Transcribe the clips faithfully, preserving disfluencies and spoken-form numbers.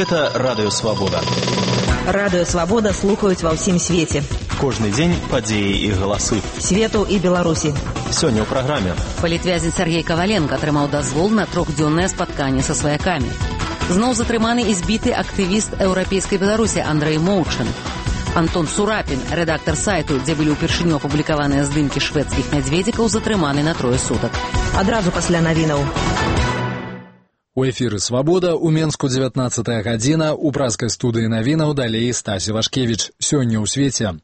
Гэта Радыё Свабода. Радыё Свабода слухаюць ва ўсім свеце. Кожны дзень падзеі і галасы. Свету і Беларусі. Сёння ў праграме. Палітвязень Сергей Коваленко атрымаў дазвол на трохдзённае спатканне са сваякамі. Зноў затрыманы і збіты актывіст еўрапейскай Беларусі Андрэй Моўчын. Антон Сурапін, рэдактар сайту, дзе былі ўпершыню апублікаваныя здымкі шведскіх мядзведзікаў, затрыманы на трое сутак. Адразу пасля навінаў. У эфіры «Свабода» у Менску дзевятнаццатая гадзіна, у празкай студыі навінаў далей Стасі Вашкевіч. Сёння ў свеце.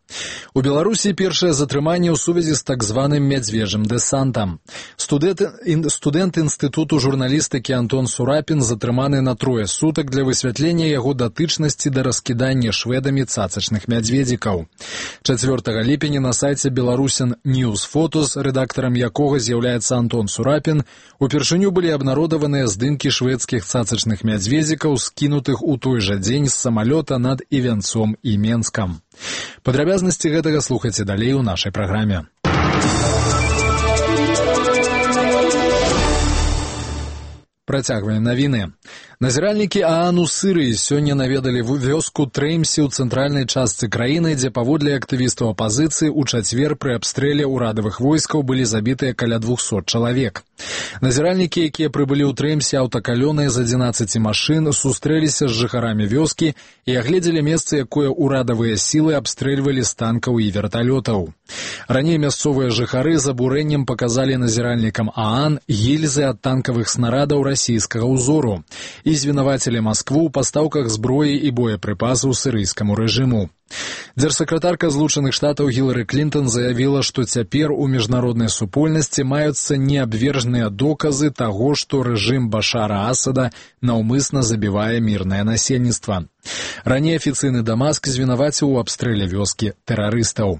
У Беларусі першае затрыманне ў сувязі з так званым мядзвежым дэсантам. Студэнт, ін, студэнт інстытуту журналістыкі Антон Сурапін затрыманы на трое сутак для высвятлення яго датычнасці да раскідання шведамі цацачных мядзведзікаў. чацвёртага ліпеня на сайце Беларусін News Photos, рэдактарам якога з'яўляецца Антон Сурапін, упершыню былі абнародаваныя здымкі шведскіх цацачных мядзведзікаў, скінутых у той жа дзень з самалёта над Івянцом і Менскам. Падрабязнасці гэтага слухайце далей у нашай праграме. Працягваем навіны. Назіральнікі ААН у Сырыі сёння наведалі вёску Треймсі ў цэнтральнай частцы краіны, дзе паводле актывістаў апазіцыі ў чацвер пры абстрэле ўрадавых войскаў былі забітыя каля двухсот чалавек. Назіральнікі, якія прыбылі ў Треймсі аўтакалёнай з адзінаццаці машын, сустрэліся з жыхарамі вёскі і агледзелі месца, якое ўрадавыя сілы абстрэльвалі з танкаў і верталётаў. Раней мясцовыя жыхары з абурэннем паказалі назіральнікам ААН гільзы ад танкавых снарадаў расійскага ўзору і звінавацілі Маскву ў пастаўках зброі і боепрыпасаў сірыйскаму рэжыму. Дзяржсакратарка Злучаных Штатаў Гілары Клінтон заявіла, што цяпер у міжнароднай супольнасці маюцца неабвержныя доказы таго, што рэжым Башара Асада наўмысна забівае мірнае насельніцтва. Раней афіцыйны Дамаск звінаваціў у абстрэле вёскі тэрарыстаў.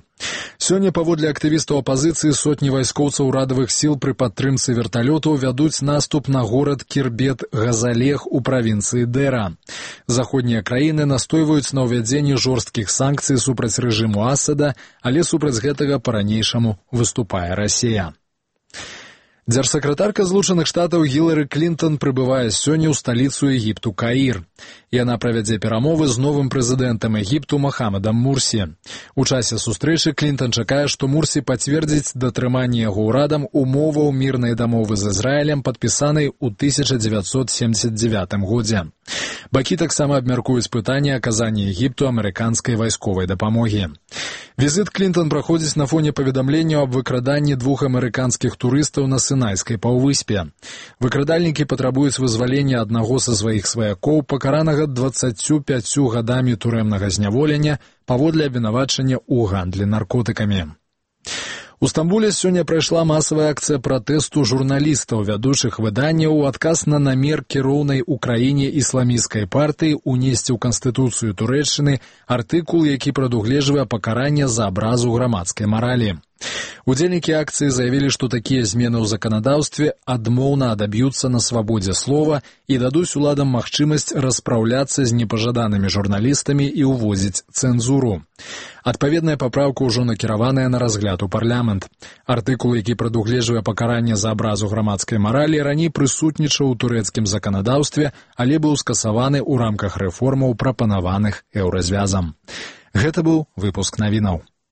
Сёння паводле актывістаў апазіцыі сотні вайскоўцаў урадавых сіл пры падтрымцы верталётаў вядуць наступ на горад Кірбет-Газалех у правінцыі Дэра. Заходнія краіны настойваюць на ўвядзенні жорсткіх санкцый супраць рэжыму Асада, але супраць гэтага па-ранейшаму выступае Расія. Дзяржсакратарка Злучаных Штатаў Гілары Клінтон прыбывае сёння ў сталіцу Егіпту Каір. Яна правядзе перамовы з новым прэзідэнтам Егіпту Мохамедам Мурсі. У часе сустрэчы Клінтон чакае, што Мурсі пацвердзіць датрыманне яго ўрадам умоваў мірнай дамовы з Ізраілем, падпісанай у тысяча дзевяцьсот семдзесят дзевятым годзе. Бакі таксама абмяркуюць пытанне аказання Егіпту амерыканскай вайсковай дапамогі. Візіт Клінтон праходзіць на фоне паведамленняў аб выкраданні двух амерыканскіх турыстаў на Сынайскай паўвыспе. Выкрадальнікі патрабуюць вызвалення аднаго са сваіх сваякоў, пакаранага дваццаццю пяццю гадамі турэмнага зняволення паводле абвінавачання ў гандлі наркотыкамі. У Стамбуле сёння прайшла масавая акцыя пратэсту журналістаў, вядучых выданняў у адказ на намер кіроўнай у краіне ісламісцкай партыі унесці ў Канстытуцыю Турэччыны артыкул, які прадугледжвае пакаранне за абразу грамадскай маралі. Удзельнікі акцыі заявілі, што такія змены ў заканадаўстве адмоўна адаб'юцца на свабодзе слова і дадуць уладам магчымасць распраўляцца з непажаданымі журналістамі і ўводзіць цэнзуру. Адпаведная папраўка ўжо накіраваная на разгляд у парламент. Артыкул, які прадугледжвае пакаранне за абразу грамадскай маралі, раней прысутнічаў у турэцкім заканадаўстве, але быў скасаваны ў рамках рэформаў, прапанаваных еўразвязам. Гэта быў выпуск навінаў.